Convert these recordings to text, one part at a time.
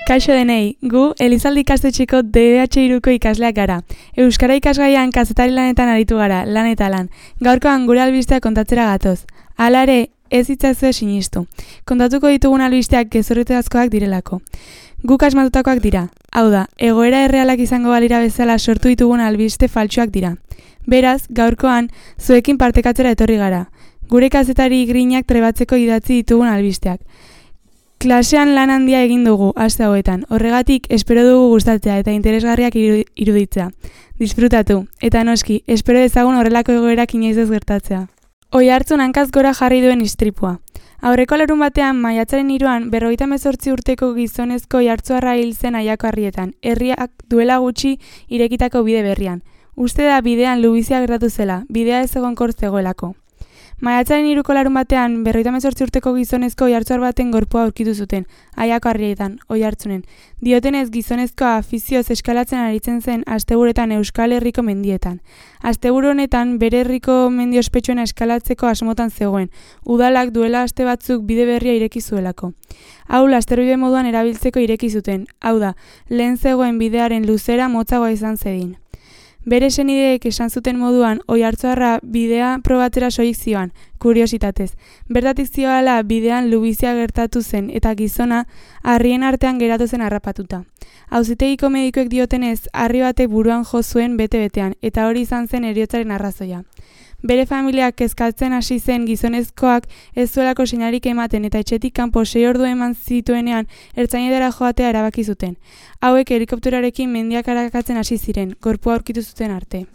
Kaixo denei, gu Elizalde ikastetxeko DBH3ko ikasleak gara. Euskara ikasgaian kazetari lanetan aritu gara, lan eta lan. Gaurkoan gure albisteak kontatzera gatoz. Hala ere, ez itzazue sinistu. Kontatuko ditugun albisteak gezurretazkoak direlako. Guk asmatutakoak dira. Hau da, egoera errealak izango balira bezala sortu ditugun albiste faltsuak dira. Beraz, gaurkoan, zuekin partekatzera etorri gara. Gure kazetari grinak trebatzeko idatzi ditugun albisteak. Klasean lan handia egin dugu, aste hauetan. Horregatik, espero dugu gustatzea eta interesgarriak iruditzea. Disfrutatu, eta noski, espero dezagun horrelako egoerak inoiz ez gertatzea. Oihartzun hankaz gora jarri duen istripua. Aurreko larun batean, maiatzaren 3an, 58 urteko gizonezko oihartzuarra hil zen Aiako Harrietan, herriak duela gutxi irekitako bide berrian. Uste da bidean lubizia gertatu zela, bidea ez egonkor zegoelako. Maiatzaren 3ko larun batean, 58 urteko gizonezko oihartzuar baten gorpua aurkitu zuten, Aiako Harrietan, Oihartzunen. Diotenez gizonezkoa afizioz eskalatzen aritzen zen asteburuetan Euskal Herriko mendietan. Asteburu honetan bere herriko mendi ospetsuena eskalatzeko asmotan zegoen, udalak duela aste batzuk bide berria ireki zuelako. Hau lasterbide moduan erabiltzeko ireki zuten, hau da, lehen zegoen bidearen luzera motzagoa izan zedin. Bere senideek esan zuten moduan, oihartzuarra bidea probatzera soilik zioan, kuriositatez. Bertatik zioala bidean lubizia gertatu zen eta gizona harrien artean geratu zen harrapatuta. Auzitegiko medikuek diotenez, harri batek buruan jo zuen bete-betean, eta hori izan zen heriotzaren arrazoia. Bere familiak kezkatzen hasi zen gizonezkoak ez zuelako seinarik ematen eta etxetik kanpo 6 ordu eman zituenean ertzainetara joatea erabaki zuten. Hauek helikopteroarekin mendiak arakatzen hasi ziren, gorpua aurkitu zuten arte.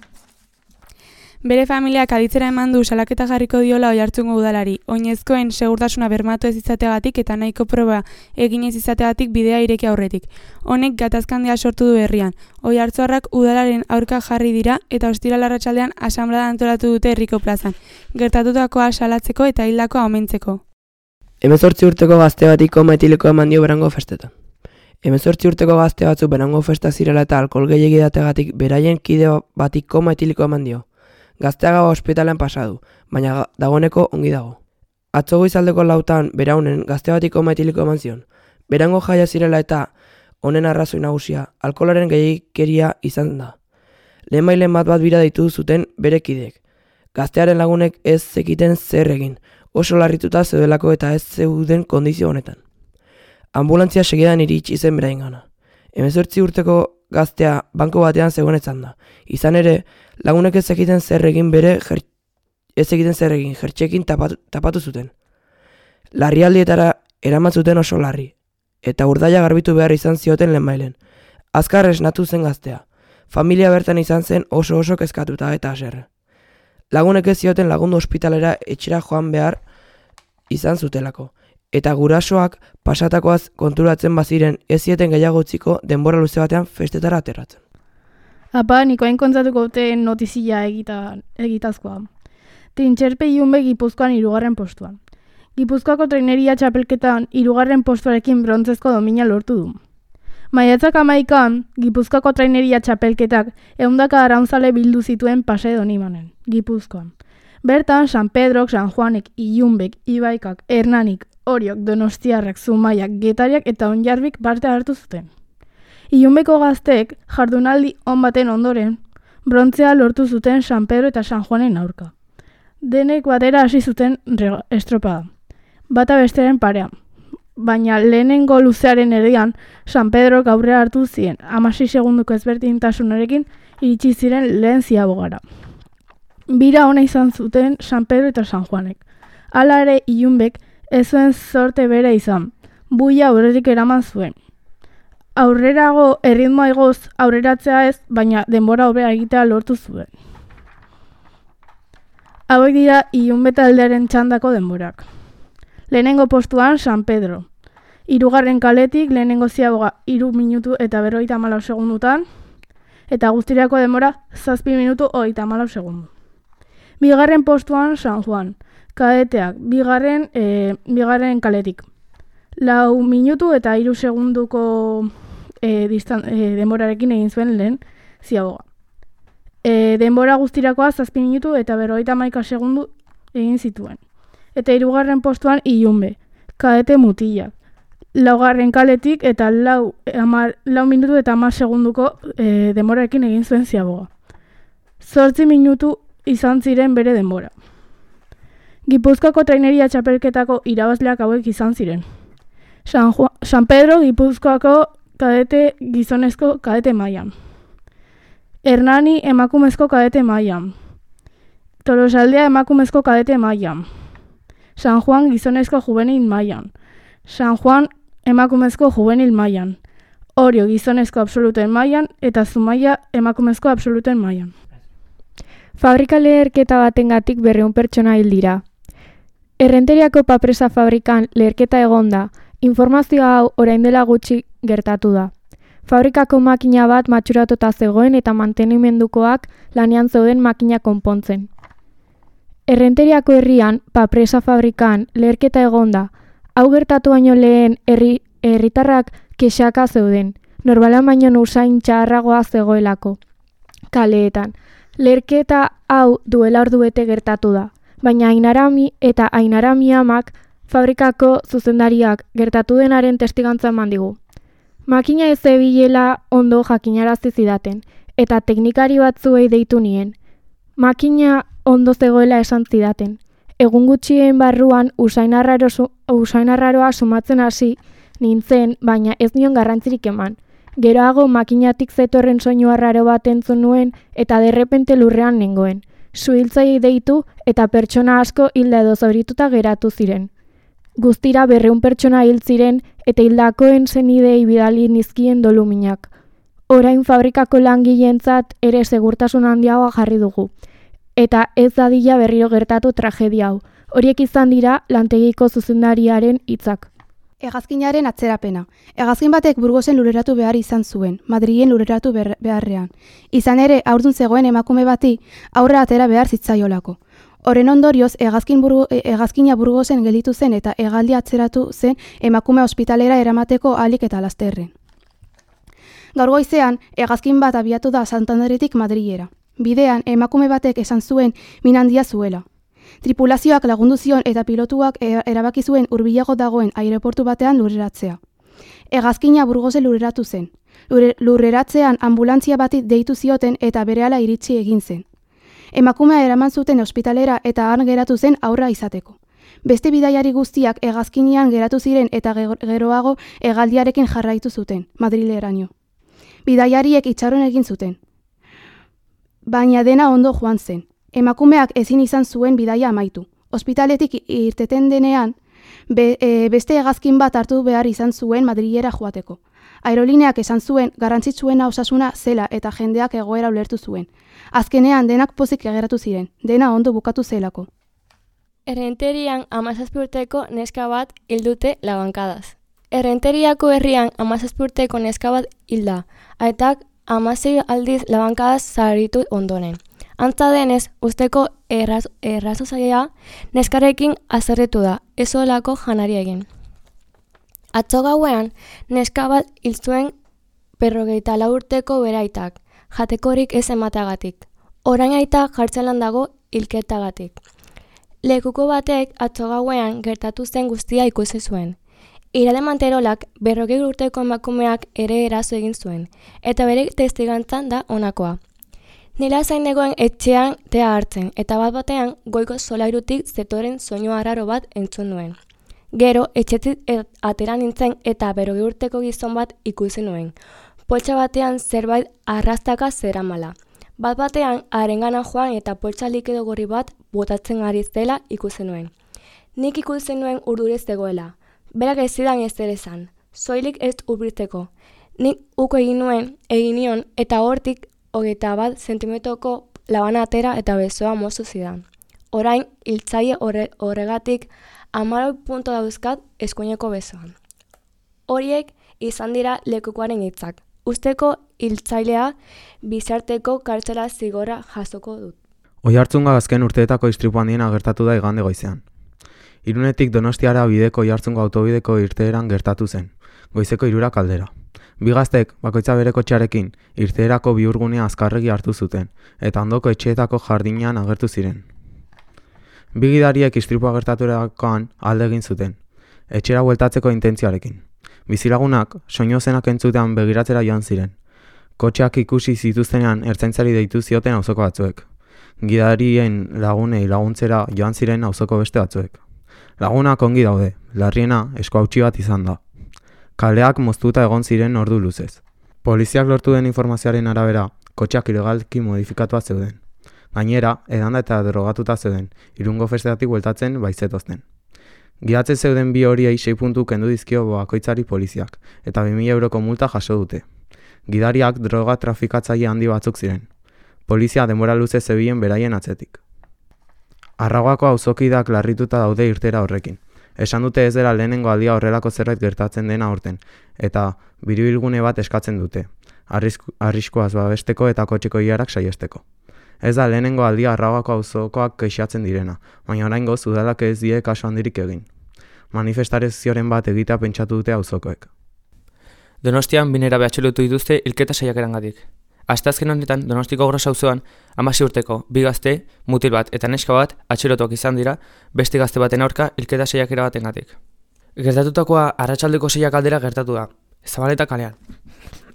Bere familiak aditzera eman du salaketa jarriko diola Oihartzungo udalari, oinezkoen segurtasuna bermatu ez izateagatik eta nahiko proba egin ez izateagatik bidea ireki aurretik. Honek gatazkandia sortu du herrian. Oihartzuarrak udalaren aurka jarri dira eta ostiral arratsaldean asanblada antolatu dute herriko plazan, gertatutakoa salatzeko eta hildakoa omentzeko. 18 urteko gazte bati koma etilikoa eman dio Berango festetan. 18 urteko gazte batzuk Berango festa zirela eta alkohol gehiegi dategatik beraien kide bati koma etilikoa eman dio. Gaztea gaua ospitalean pasadu, baina dagoeneko ongi dago. Atzo goizaldeko 4 beraunen gazte bati koma etiliko eman zion. Berango jaia zirela eta honen arrazoi nagusia alkoholaren gehiegikeria izan da. Lehenbailen bat bira deitu zuten bere kideek. Gaztearen lagunek ez zekiten zer egin, oso larrituta zeudelako eta ez zeuden kondizio honetan. Ambulantzia segidan iritsi zen beraingana. 18 urteko gaztea banko batean zegoenetzan da. Izan ere, lagunek ez zekiten zer egin jertxekin tapatu zuten. Larrialdietara eraman zuten oso larri, eta urdaila garbitu behar izan zioten lehenbailen. Azkar esnatu zen gaztea. Familia bertan izan zen oso kezkatuta eta haserre. Lagunek ez zioten lagundu ospitalera etxera joan behar izan zutelako. Eta gurasoak pasatakoaz konturatzen baziren ez zieten gehiago utziko denbora luze batean festetara aterratzen. Apa, nikoain kontzatuko dute notizia egitazkoa. Trintxerpe Ilunbe Gipuzkoan 3. postuan. Gipuzkoako traineria txapelketan 3. postuarekin brontzezko domina lortu du. Maiatzak 11an, Gipuzkoako traineria txapelketak 100 arraunzale bildu zituen Pasai Donibanen, Gipuzkoan. Bertan, San Pedrok, San Juanek, Ilunbek, Ibaikak, Hernanik, Oriok, Donostiarrak, Zumaiak, Getariak eta Onjarbik parte hartu zuten. Ilunbeko gazteek jardunaldi on baten ondoren, brontzea lortu zuten San Pedro eta San Juanen aurka. Denek batera hasi zuten estropada, bata bestearen parean. Baina lehenengo luzearen erdian, San Pedrok aurrea hartu zien, 16 segunduko ezberdintasunarekin iritsi ziren lehen ziabogara. Bira ona izan zuten San Pedro eta San Juanek. Hala ere Ilunbek ez zuen zorte bere izan, buia aurretik eraman zuen. Aurrerago erritmoa igoz aurreratzea ez, baina denbora hobea egitea lortu zuen. Hauek dira Ilunbe taldearen txandako denborak. Lehenengo postuan San Pedro. 3. kaletik lehenengo ziaboga 3 minutu eta 54 segundutan, eta guztirako denbora 7 minutu 34 segundu. 2. postuan San Juan. Kadeteak, bigarren kaletik. 4 minutu eta 3 segunduko denborarekin egin zuen lehen ziaboga. Denbora guztirakoa 7 minutu eta 51 segundu egin zituen. Eta 3. postuan Ilunbe, kadete mutilak. laugarren kaletik eta lau minutu eta 10 segunduko denborarekin egin zuen ziaboga. 8 minutu izan ziren bere denbora. Gipuzkoako traineria txapelketako irabazleak hauek izan ziren. San Pedro Gipuzkoako kadete gizonezko kadete mailan. Hernani emakumezko kadete mailan. Tolosaldea emakumezko kadete mailan. San Juan gizonezko juvenil mailan. San Juan emakumezko juvenil mailan. Orio gizonezko absoluten mailan eta Zumaia emakumezko absoluten mailan. Fabrika leherketa batengatik 200 pertsona hil dira. Errenteriako papresa fabrikan leherketa egonda, informazio hau orain dela gutxi gertatu da. Fabrikako makina bat matxuratuta zegoen eta mantenimendukoak lanean zeuden makina konpontzen. Errenteriako herrian, papresa fabrikan leherketa egonda, hau gertatu baino lehen herritarrak kexaka zeuden, normala baino usain txarragoa zegoelako. Kaleetan, leherketa hau duela ordubete gertatu da, baina Ainarami eta Ainarami amak fabrikako zuzendariak gertatu denaren testigantza eman digu. Makina ez zebilela ondo jakinarazi zidaten, eta teknikari batzuei deitu nien. Makina ondo zegoela esan zidaten. Egun gutxien barruan usainarraroa sumatzen hasi nintzen, baina ez nion garrantzirik eman. Geroago makinatik zetorren soinu arraro bat entzun nuen eta derrepente lurrean nengoen. Suhiltzaileei deitu eta pertsona asko hilda edo zaurituta geratu ziren. Guztira 200 pertsona hil ziren eta hildakoen senidei bidali nizkien doluminak. Orain fabrikako langileentzat ere segurtasun handiagoa jarri dugu. Eta ez dadila berriro gertatu tragedia hau. Horiek izan dira lantegiko zuzendariaren hitzak. Hegazkinaren atzerapena. Hegazkin batek Burgosen lureratu behar izan zuen, Madrilen lureratu beharrean. Izan ere, haurdun zegoen emakume bati aurra atera behar zitzaiolako. Horren ondorioz, hegazkina Burgosen gelditu zen eta hegaldi atzeratu zen emakume ospitalera eramateko ahalik eta lasterren. Gaur goizean, hegazkin bat abiatu da Santanderetik Madrilera. Bidean, emakume batek esan zuen min handia zuela. Tripulazioak lagundu zion eta pilotuak erabaki zuen hurbilago dagoen aireportu batean lurreratzea. Hegazkina Burgosen lurreratu zen. Lurreratzean anbulantzia bati deitu zioten eta berehala iritsi egin zen. Emakumea eraman zuten ospitalera eta han geratu zen aurra izateko. Beste bidaiari guztiak hegazkinean geratu ziren eta geroago hegaldiarekin jarraitu zuten, Madrileraino. Bidaiariek itxaron egin zuten. Baina dena ondo joan zen. Emakumeak ezin izan zuen bidaia amaitu. Ospitaletik irteten denean, beste hegazkin bat hartu behar izan zuen Madrilera joateko. Aerolineak esan zuen garrantzitsuena osasuna zela eta jendeak egoera ulertu zuen. Azkenean denak pozik geratu ziren, dena ondo bukatu zelako. Errenterian 17 urteko neska bat hil dute labankadaz. Errenteriako herrian 17 urteko neska bat hilda, aitak 16 aldiz labankadaz zauritu ondoren. Antza denez, usteko errazozaia neskarekin azerretu da, ez olako janari egin. Atzo gauean, neska bat hil zuen 54 urteko bere aitak, jatekorik ez emateagatik. Orain aita jartzelan dago hilketagatik. Lekuko batek atzo gauean gertatu zen guztia ikusi zuen. Irade Manterolak 40 urteko emakumeak ere eraso egin zuen, eta bere testigantzan da honakoa. Nila zain negoen etxean tea hartzen, eta bat-batean goiko solairutik zetoren soinu arraro bat entzun nuen. Gero, etxetik atera nintzen eta 40 urteko gizon bat ikusi nuen. Poltsa batean zerbait arrastaka zeramala. Bat-batean harengana joan eta poltsa likido gorri bat botatzen ari zela ikusi nuen. Nik ikusi nuen urdurez zegoela. Berak ez zidan ez ere esan, soilik ez hurbiltzeko. Nik uko egin nion eta hortik 21 zentimetroko labana atera eta besoa moztu zidan. Orain, hiltzaile horregatik 14 punto dauzkat eskuineko besoan. Horiek izan dira lekukoaren hitzak. Usteko hiltzailea bizarteko kartzela zigorra jasoko dut. Oiartzunga azken urteetako istripu handiena gertatu da igande goizean. Irunetik Donostiara bideko Oiartzungo autobideko irteeran gertatu zen, goizeko 3 aldera. Bi gaztek, bakoitza bere kotxearekin, irteerako bihurgunea azkarregi hartu zuten, eta ondoko etxeetako jardinean agertu ziren. Bi gidariek istripua gertaturakoan alde egin zuten, etxera bueltatzeko intentzioarekin. Bizilagunak soinu zenak entzutean begiratzera joan ziren. Kotxeak ikusi zituztenean ertzaintzari deitu zioten auzoko batzuek. Gidarien lagunei laguntzera joan ziren auzoko beste batzuek. Lagunak ongi daude, larriena esku hautsi bat izan da. Kaleak moztuta egon ziren ordu luzez. Poliziak lortu den informazioaren arabera, kotxeak ilegalki modifikatua zeuden. Gainera, edanda eta drogatuta zeuden, Irungo festetatik bueltatzen baizetozten. Gidatzen zeuden bi horiei 6 puntu kendu dizkio bakoitzari poliziak, eta 2.000 euroko multa jaso dute. Gidariak droga trafikatzaile handi batzuk ziren. Polizia denbora luze zebilen beraien atzetik. Arragoako auzokideak larrituta daude irtera horrekin. Esan dute ez dela lehenengo aldia horrelako zerbait gertatzen dena aurten, eta biribilgune bat eskatzen dute, arriskuaz babesteko eta kotxeko ilarak saihesteko. Ez da lehenengo aldia Arragoako auzokoak kexatzen direna, baina oraingoz udalak ez die kasu handirik egin. Manifestazioren bat egitea pentsatu dute auzokoek. Donostian binera atxilotu dituzte hilketa saiakerangatik. Asteazken honetan Donostiko Gros auzoan 16 urteko bi gazte, mutil bat eta neska bat atxilotuak izan dira beste gazte baten aurka hilketa saiakera batengatik. Gertatutakoa arratsaldeko 6 aldera gertatu da, Zabaleta kalean.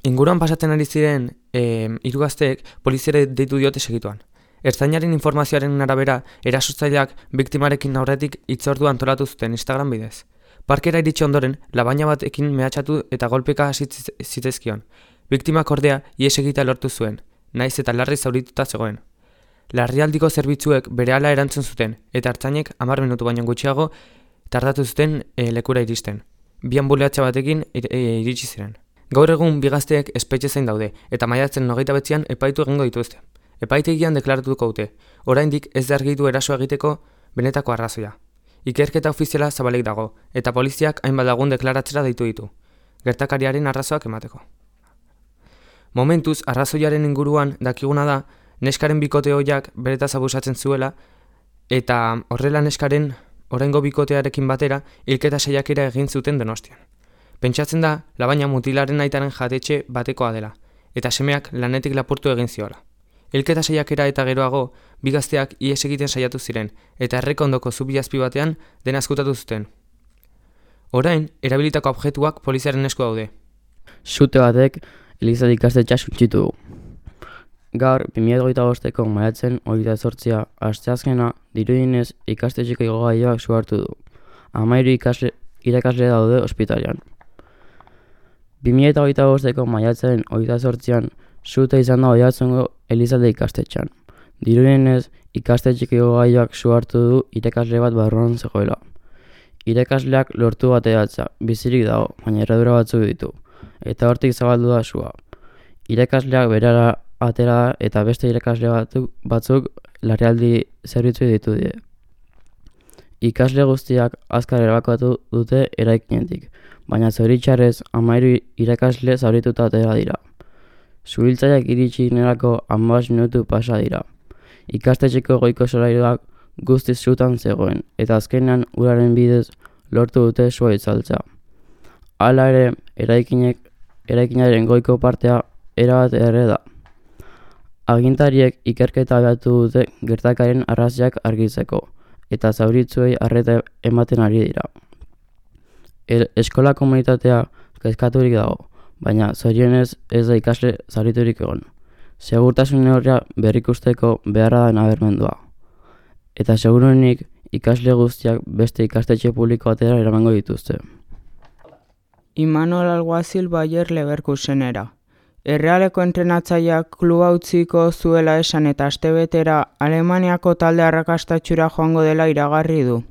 Inguruan pasatzen ari ziren 3 gazteek poliziare deitu diote segituan. Ertzainaren informazioaren arabera, erasotzaileak biktimarekin aurretik hitzordu antolatu zuten Instagram bidez. Parkera iritsi ondoren, labaina batekin mehatxatu eta golpeka hasi zitezkion. Biktimak ordea ihes egitea lortu zuen, naiz eta larri zaurituta zegoen. Larrialdiko zerbitzuek berehala erantzun zuten, eta ertzainek 10 minutu baino gutxiago tardatu zuten lekura iristen. Bi anbulatsa batekin iritsi ziren. Gaur egun bi gazteek espetxe zein daude, eta maiatzen 29an epaitu egingo dituzte. Epaitegian deklaratuko dute, oraindik ez da argitu eraso egiteko benetako arrazoia. Ikerketa ofiziala zabalik dago, eta poliziak hainbat lagun deklaratzera deitu ditu, gertakariaren arrazoak emateko. Momentuz, arrazoiaren inguruan dakiguna da, neskaren bikote hoiak beretaz abusatzen zuela, eta horrela neskaren oraingo bikotearekin batera hilketa saiakera egin zuten Donostian. Pentsatzen da, labaina mutilaren aitaren jatetxe batekoa dela, eta semeak lanetik lapurtu egin ziola. Hilketa saiakera eta geroago, bi gazteak ihes egiten saiatu ziren, eta errekondoko zubi azpi batean dena ezkutatu zuten. Orain, erabilitako objektuak poliziaren esku daude. Sute batek Eliza ikastetxea suntsitu du. Gaur, 2025ko maiatzen 28a asteazkena dirudienez ikastetxeko igogailuak su hartu du. 13 irakasle daude ospitalean. 2025ko maiatzen 28an sute izan da Oiartzungo Elizalde ikastetxean. Dirudienez ikastetxeko igogailuak su hartu du irakasle bat barruan zegoela. Irakasleak lortu bateratzea, bizirik dago, baina erredura batzuk ditu, eta hortik zabaldu da sua. Irakasleak berara atera eta beste irakasle batzuk larrialdi zerbitzu ditu die. Ikasle guztiak azkar erabakiatu dute eraikinetik, baina zoritxarrez 13 irakasle zaurituta atera dira. Suhiltzaileak iritsi nerako 15 minutu pasa dira. Ikastetxeko goiko solairuak guztiz sutan zegoen, eta azkenean uraren bidez lortu dute sua itzaltzea. Hala ere, eraikinaren goiko partea erabat erre da. Agintariek ikerketa abiatu dute gertakaren arrazoiak argitzeko, eta zauritzuei arreta ematen ari dira. Eskola komunitatea kezkaturik dago, baina zorionez ez da ikasle zauriturik egon. Segurtasun neurria berrikusteko beharra da nabarmendua. Eta seguruenik ikasle guztiak beste ikastetxe publiko batera eramango dituzte. Imanol Alguazil Bayer Leverkusenera. Errealeko entrenatzaileak kluba utziko zuela esan eta astebetera Alemaniako talde arrakastatxura joango dela iragarri du.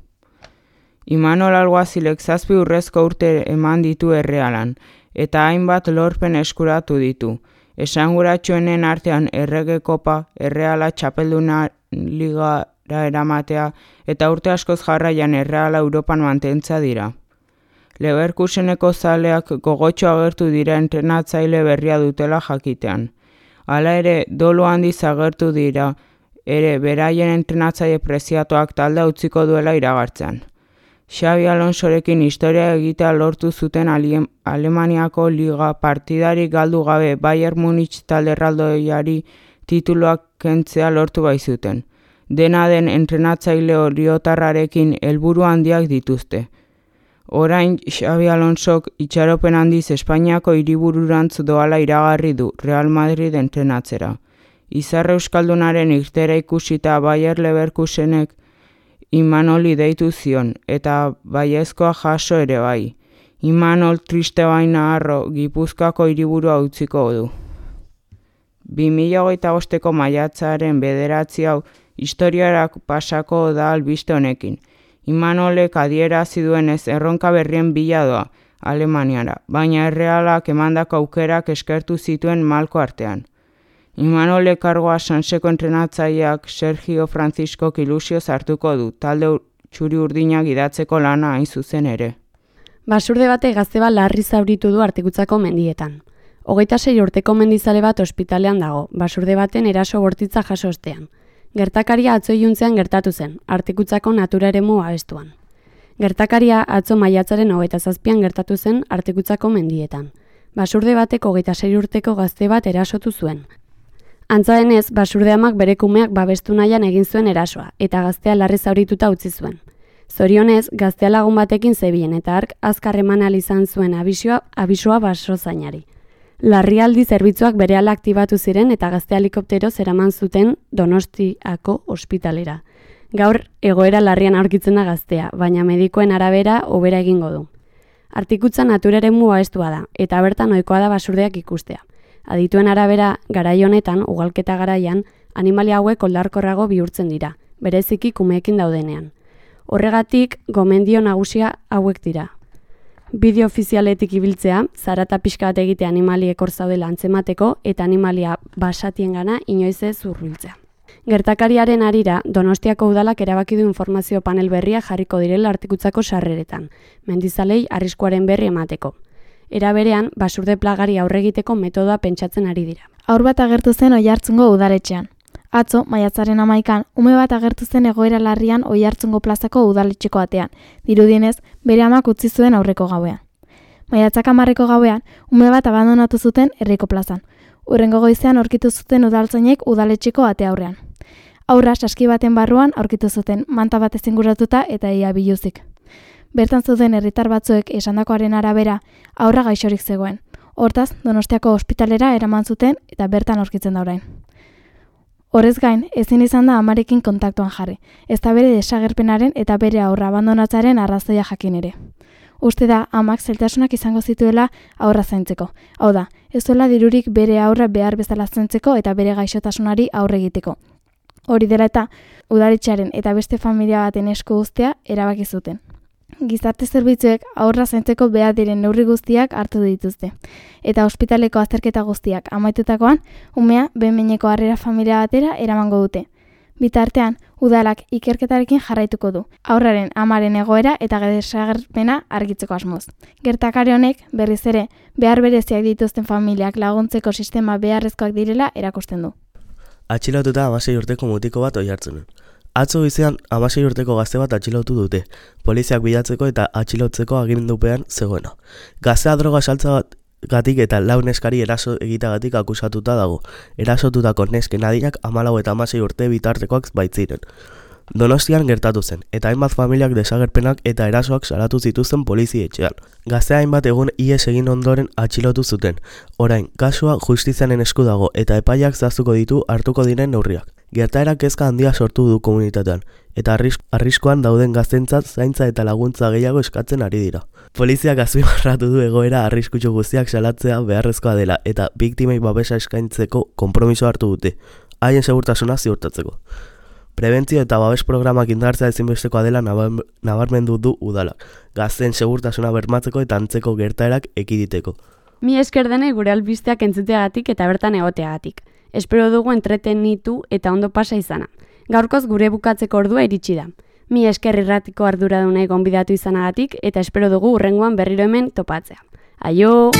Imanol Alguazilek 7 urrezko urte eman ditu Errealan, eta hainbat lorpen eskuratu ditu. Esanguratsuenen artean Errege Kopa, Erreala txapelduna ligara eramatea eta urte askoz jarraian Erreala Europan mantentza dira. Leverkuseneko zaleak gogotxo agertu dira entrenatzaile berria dutela jakitean. Hala ere, dolu handiz agertu dira ere beraien entrenatzaile preziatuak talde utziko duela iragartzean. Xabi Alonsorekin historia egitea lortu zuten Alemaniako liga partidarik galdu gabe Bayern Munich talde erraldoiari tituluak kentzea lortu baizuten. Dena den entrenatzaile oriotarrarekin helburu handiak dituzte. Orain Xabi Alonsok itxaropen handiz Espainiako hiribururantz doala iragarri du Real Madrid entrenatzera. Izar euskaldunaren irtera ikusita Bayer Leverkusenek Imanoli deitu zion, eta baiezkoa jaso ere bai. Imanol triste baina harro Gipuzkoako hiriburua utziko du. 2025ko maiatzaren 9 hau historiarak pasako da albiste honekin. Imanolek adierazi duenez erronka berrien bila doa Alemaniara, baina Errealak emandako aukerak eskertu zituen malko artean. Imanolek kargoa Sanseko entrenatzaileak Sergio Franciscok ilusioz hartuko du, talde txuri urdinak idatzeko lana hain zuzen ere. Basurde bate gazte bat larri zauritu du Artikutzako mendietan. 26 urteko mendizale bat ospitalean dago, basurde baten eraso bortitza jaso ostean. Gertakaria atzo iluntzean gertatu zen, Artikutzako natura eremu abestuan. Gertakaria atzo maiatzaren 27an gertatu zen Artikutzako mendietan. Basurde batek 26 urteko gazte bat erasotu zuen. Antza denez, basurde amak bere kumeak babestu nahian egin zuen erasoa, eta gaztea larri zaurituta utzi zuen. Zorionez, gaztea lagun batekin zebien eta hark azkar eman ahal izan zuen abisua basozainari. Larrialdi zerbitzuak berehala aktibatu ziren eta gazte helikoptero zeraman zuten Donostiako ospitalera. Gaur egoera larrian aurkitzen da gaztea, baina medikoen arabera hobera egingo du. Artikutza natura eremu babestua da, eta bertan ohikoa da basurdeak ikustea. Adituen arabera, garai honetan, ugalketa garaian, animalia hauek oldarkorrago bihurtzen dira, bereziki kumeekin daudenean. Horregatik, gomendio nagusia hauek dira. Bideo ofizialetik ibiltzea, zarata pixka bat egitea animaliek hor zaudela antzemateko eta animalia basatiengana inoiz ez hurbiltzea. Gertakariaren harira, Donostiako udalak erabaki du informazio panel berria jarriko direla Artikutzako sarreretan, mendizalei arriskuaren berri emateko. Era berean, basurde plagari aurre egiteko metodoa pentsatzen ari dira. Haur bat agertu zen Oiartzungo udaletxean. Atzo, maiatzaren 11an, ume bat agertu zen egoera larrian Oiartzungo plazako udaletxeko atean, dirudienez, bere amak utzi zuen aurreko gauean. Maiatzak 10ko gauean, ume bat abandonatu zuten herriko plazan. Hurrengo goizean aurkitu zuten udaltzainek udaletxeko ate aurrean. Haurra saski baten barruan aurkitu zuten, manta bat ezinguratuta eta ia biluzik. Bertan zuten herritar batzuek esandakoaren arabera, haurra gaixorik zegoen. Hortaz, Donostiako ospitalera eraman zuten eta bertan aurkitzen da orain. Horrez gain, ezin izan da amarekin kontaktuan jarri, ez da bere desagerpenaren eta bere haurra abandonatzaren arrazoia jakin ere. Uste da, amak zailtasunak izango zituela haurra zaintzeko. Hau da, ez duela dirurik bere haurra behar bezala zaintzeko eta bere gaixotasunari aurre egiteko. Hori dela eta, udaletxearen eta beste familia baten esku uztea erabaki zuten. Gizarte zerbitzuek haurra zaintzeko behar diren neurri guztiak hartu dituzte. Eta ospitaleko azterketa guztiak amaitutakoan, umea behin-behineko harrera familia batera eramango dute. Bitartean, udalak ikerketarekin jarraituko du, haurraren amaren egoera eta desagerpena argitzeko asmoz. Gertakari honek, berriz ere, behar bereziak dituzten familiak laguntzeko sistema beharrezkoak direla erakusten du. Atxilotuta 16 urteko mutiko bat Oiartzunen. Atzo goizean 16 urteko gazte bat atxilotu dute, poliziak bilatzeko eta atxilotzeko agindupean zegoena. Gaztea droga saltzagatik eta lau neskari eraso egitagatik akusatuta dago. Erasotutako nesken adinak 14 eta 16 urte bitartekoak baitziren. Donostian gertatu zen, eta hainbat familiak desagerpenak eta erasoak salatu zituzten polizietxean. Gaztea hainbat egun ihes egin ondoren atxilotu zuten. Orain, kasua justizianen esku dago eta epaiak zehaztuko ditu hartuko diren neurriak. Gertaerak kezka handia sortu du komunitatean, eta arriskuan dauden gaztentzat zaintza eta laguntza gehiago eskatzen ari dira. Poliziak azpimarratu du egoera arriskutsu guztiak salatzea beharrezkoa dela eta biktimei babesa eskaintzeko konpromiso hartu dute, haien segurtasuna ziurtatzeko. Prebentzio eta babes programak indartzea ezinbestekoa dela nabarmendu du udalak, gazten segurtasuna bermatzeko eta antzeko gertaerak ekiditeko. Mi esker denei gure albisteak entzuteagatik eta bertan egoteagatik. Espero dugu entretenitu eta ondo pasa izana. Gaurkoz gure bukatzeko ordua iritsi da. Mi esker irratiko arduradunei gonbidatu izanagatik eta espero dugu hurrengoan berriro hemen topatzea. Aio!